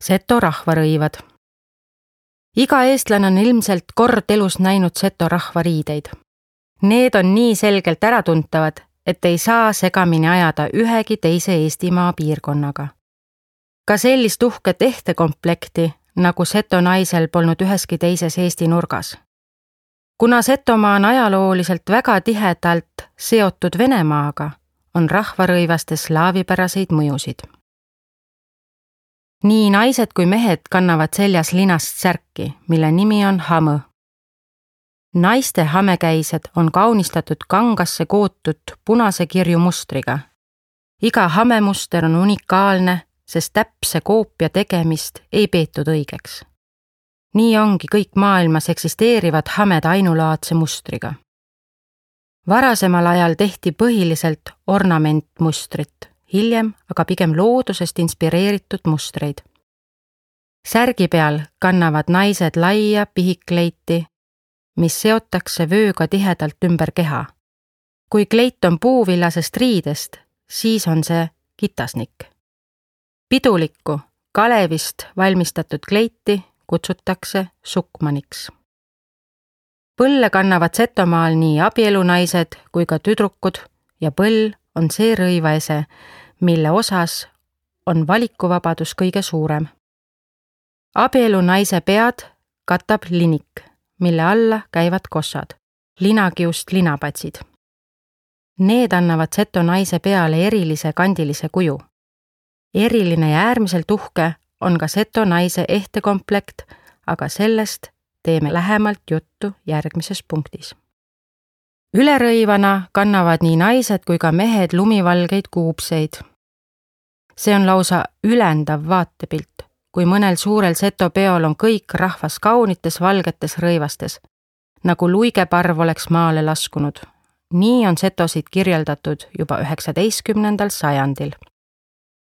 Seto rahvarõivad. Iga eestlane on ilmselt kord elus näinud seto rahvariideid. Need on nii selgelt äratuntavad, et ei saa segamini ajada ühegi teise Eestimaa piirkonnaga. Ka sellist uhket ehtekomplekti, nagu seto naisel polnud üheski teises Eesti nurgas. Kuna Setomaa on ajalooliselt väga tihedalt seotud Venemaaga, on rahvarõivaste slaavipäraseid mõjusid. Nii naised kui mehed kannavad seljas linast särki, mille nimi on hamõ. Naiste hamekäised on kaunistatud kangasse kootud punase kirju mustriga. Iga hamemuster on unikaalne, sest täpse koopia tegemist ei peetud õigeks. Nii ongi kõik maailmas eksisteerivad hamed ainulaadse mustriga. Varasemal ajal tehti põhiliselt ornamentmustrit, hiljem aga pigem loodusest inspireeritud mustreid. Särgi peal kannavad naised laia pihikkleiti, mis seotakse vööga tihedalt ümber keha. Kui kleit on puuvillasest riidest, siis on see kitasnik. Pidulikku, kalevist valmistatud kleiti kutsutakse sukmaniks. Põlle kannavad Setomaal nii abielunaised kui ka tüdrukud ja põll on see rõivaese, mille osas on valikuvabadus kõige suurem. Abielunaise pead katab linik, mille alla käivad kossad, linakiust linapatsid. Need annavad seto naise peale erilise kandilise kuju. Eriline ja äärmiselt uhke on ka seto naise ehtekomplekt, aga sellest teeme lähemalt juttu järgmises punktis. Ülerõivana kannavad nii naised kui ka mehed lumivalgeid kuubseid. See on lausa ülendav vaatepilt, kui mõnel suurel seto peol on kõik rahvas kaunites valgetes rõivastes, nagu luigeparv oleks maale laskunud. Nii on setosid kirjeldatud juba 19. sajandil.